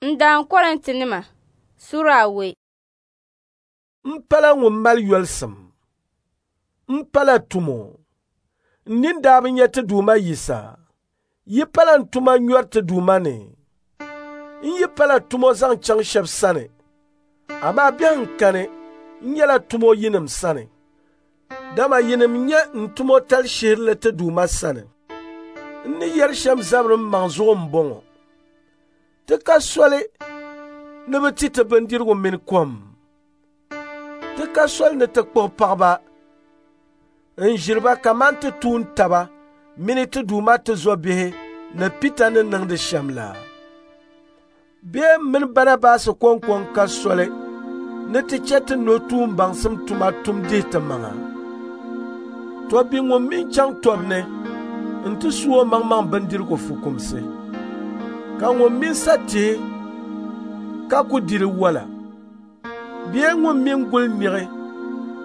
N daan Kɔrintinima sura awei. M pala ŋun mali yolisim. M pala tumo. N nini daa bi nya ti Duuma Yisa. Yi pala n tuma nyɔri ti Duuma ni. N yi pala tumo zaŋ chaŋ shɛb sani, amaa biɛhiŋ kani n nyɛla tumo yinim sani. Dama yinim nyɛ n tumotali shihirili ti Duuma sani. N ni yɛri shɛm zabiri m maŋ zuɣu m-bɔŋɔ. Ti ka soli ni bɛ ti ti bindirigu mini kom. Ti ka soli ni ti kpuɣi paɣiba n-ʒiri ba kaman ti tuun taba mini ti Duuma tizɔbihi ni Pita ni niŋdi shɛm la. Bee m mini Banabas kɔŋko n-ka soli ni ti chɛ ti nuhi tuumbaŋsim tuma tum dihi ti maŋa. Tɔbbi ŋun mi chaŋ tɔbu ni nti su omaŋmaŋ bindirigu fukumsi, ka ŋun mi sa tihi ka ku di di wala, bee ŋun mi guli niɣi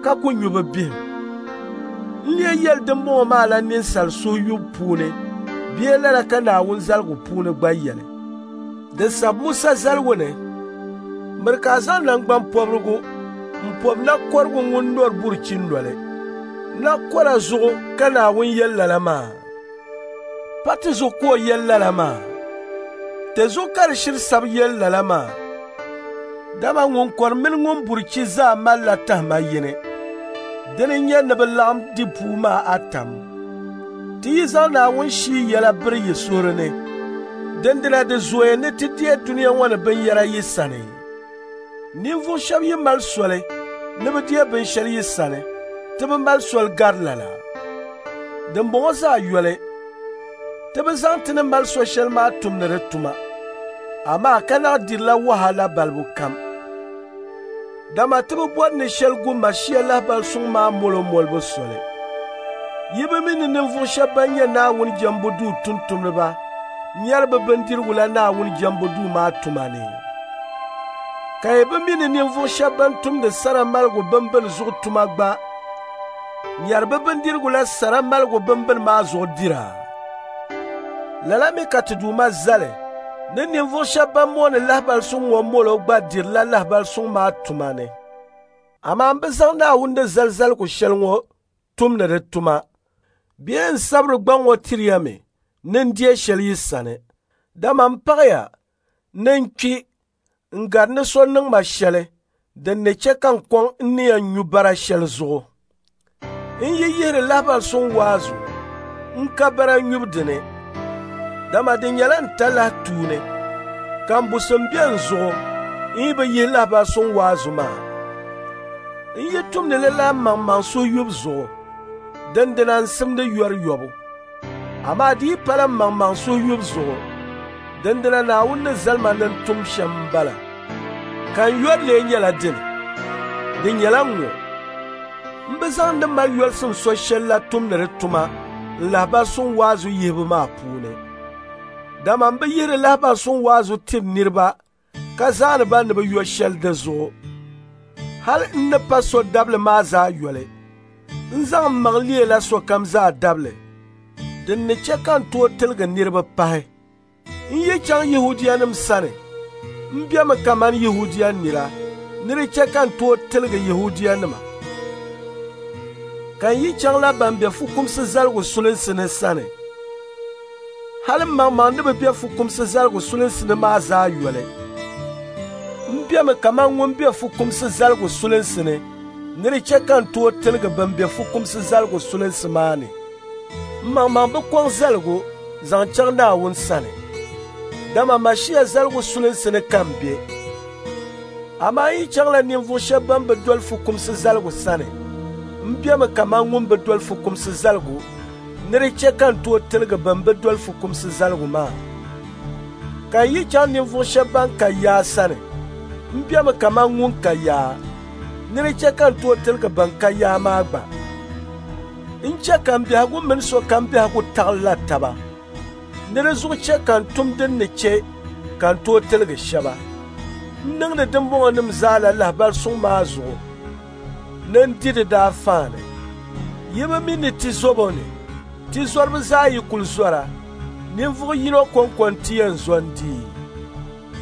ka ku nyu bɛ bihim. N lee yɛli dimbɔŋɔ maa la ninsal suhuyubu puuni bee lala ka Naawuni zaligu puuni gba yɛli. Di sabi Musa zaligu ni, miri ka a zaŋ naŋgbampɔbirigu m-pɔbi nakɔrigu ŋun nɔri burichi noli. Nakɔra zuɣu ka Naawuni yɛli lala maa. Pa ti zuɣu ka o yɛli lala maa. Ti zuɣu ka di shiri sabi yɛli lala maa. Dama ŋun kɔri mini ŋun burichi zaa malila tahima yini. Dini n-nyɛ ni bɛ laɣim di puu maa atam. Ti yi zaŋ Naawuni shii yɛla biri yi suhuri ni, dindina di zooya ni ti deei dunia ŋɔ ni binyɛra yi sani. Ninvuɣ shɛb yi mali soli ni bɛ deei binshɛli yi sani, ti bi mali soli gari lala. Dimbɔŋɔ zaa yoli, ti bi zaŋ ti ni mali so shɛli maa tumdi di tuma, amaa ka naɣ dirila wahala balibu kam. Dama ti bi bɔri ni shɛli gu Mashia lahibal suŋ maa molo molibu soli. Yi bi mi ni ninvuɣ shɛb ban nyɛ Naawuni jɛmbu duu tumtumdiba nyari bɛ bindirigu la Naawuni jɛmbu duu maa tuma ni? Ka yi bi mi ni ninvuɣ shɛb ban tumdi sara maligu bimbini zuɣu tuma gba nyari bɛ bindirigu la sara maligu bimbini maa zuɣu dira? Lala mi ka ti Duuma zali ni ninvuɣ shɛb ban mooni lahibal suŋ ŋɔ molo gba dirila lahibal suŋ maa tuma ni. Amaa m bi zaŋ Naawuni ni zali zaligu shɛli ŋɔ tumdi di tuma bee n sabiri gbaŋ ŋɔ tiri ya mi ni n deei shɛli yi sani. Dama m paɣiya ni n kpi n-gari ni so niŋ ma shɛli din ni chɛ ka n kɔŋ n ni yɛn nyu bara shɛli zuɣu. N yi yihiri lahibal suŋ waazu, n ka bara nyubu dini, dama di nyɛla n talahi tuuni, ka m busim be n zuɣu n yi bi yihi lahibal suŋ waazu maa. N yi tumdi li la mmaŋmaŋ suhuyubu zuɣu, dindina n simdi yɔri yɔbu. Amaa di yi pala mmaŋmaŋ suhuyubu zuɣu, dindina Naawuni ni zali ma ni n tum shɛm m-bala. Ka n yɔri lee nyɛla dini? Di nyɛla ŋ-ŋɔ: m bi zaŋ ni mali yolisim so shɛli la tumdi di tuma n lahibal suŋ waazu yihibu maa puuni. Dama m bi yihiri lahibal suŋ waazu tiri niriba ka zaani ba ni bɛ yo shɛli di zuɣu. Hal n ni pa so dabili maa zaa yoli, n zaŋ m maŋ leela sokam zaa dabili, din ni chɛ ka n tooi tiligi niriba pahi. N yi chaŋ Yɛhudianim sani, m bemi kaman Yɛhudia nira ni di chɛ ka n tooi tiligi Yɛhudianima. Ka n yi chaŋla ban be fukumsi zaligu sulinsi ni sani, hal m maŋmaŋ ni bi be fukumsi zaligu sulinsi ni maa zaa yoli, m bemi kaman ŋun be fukumsi zaligu sulinsi ni ni di chɛ ka n tooi tiligi ban be fukumsi zaligu sulinsi maa ni. M maŋmaŋ bi kɔŋ zaligu zaŋ chaŋ Naawuni sani, dama Mashia zaligu sulinsi ni ka m be. Amaa n yi chaŋla ninvuɣ shɛb bɛn bi doli fukumsi zaligu sani, m bemi kaman ŋun bi doli fukumsi zaligu ni di chɛ ka n tooi tiligi bɛn bi doli fukumsi zaligu maa. Ka n yi chaŋ ninvuɣ shɛb bɛn ka yaa sani, m bemi kaman ŋun ka yaa ni di chɛ ka n tooi tiligi bɛn ka yaa maa gba. N chɛ ka m biɛhigu mini sokam biɛhigu taɣilila taba, ni di zuɣu chɛ ka n tum din ni chɛ ka n tooi tiligi shɛba. N niŋdi dimbɔŋɔnim zaa la lahibal suŋ maa zuɣu ni n di di daafaani. Yi bi mi ni ti zobo ni, ti zɔriba zaa yi kul zɔra, ninvuɣ yino kɔŋko nti yɛn zo n-di.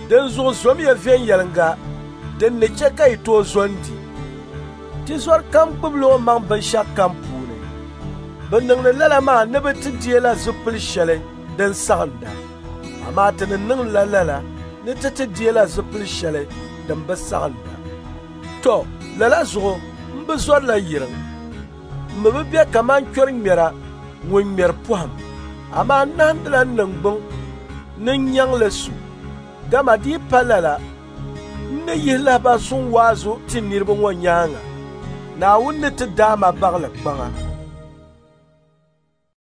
Dinzuɣu zomiya viɛnyɛliŋga din ni chɛ ka yi tooi zo n-di. Tizɔri kam gbubila o maŋ binshɛɣu kam puuni. Bɛ niŋdi lala maa ni bɛ ti deela zipil shɛli din saɣinda, amaa ti ni niŋdila lala ni ti ti deela zipil shɛli din bi saɣinda. Tɔ, lala zuɣu m bi zɔrila yiriŋ. M mi bi be kaman kpɛriŋmɛra ŋun ŋmɛri pɔhim, amaa n nahindila n niŋgbuŋ ni n nyaŋ li su, dama di yi pa lala, n ni yihi lahibal suŋ waazu ti niriba ŋɔ nyaaŋa, Naawuni ni ti daai ma baɣili kpaŋa.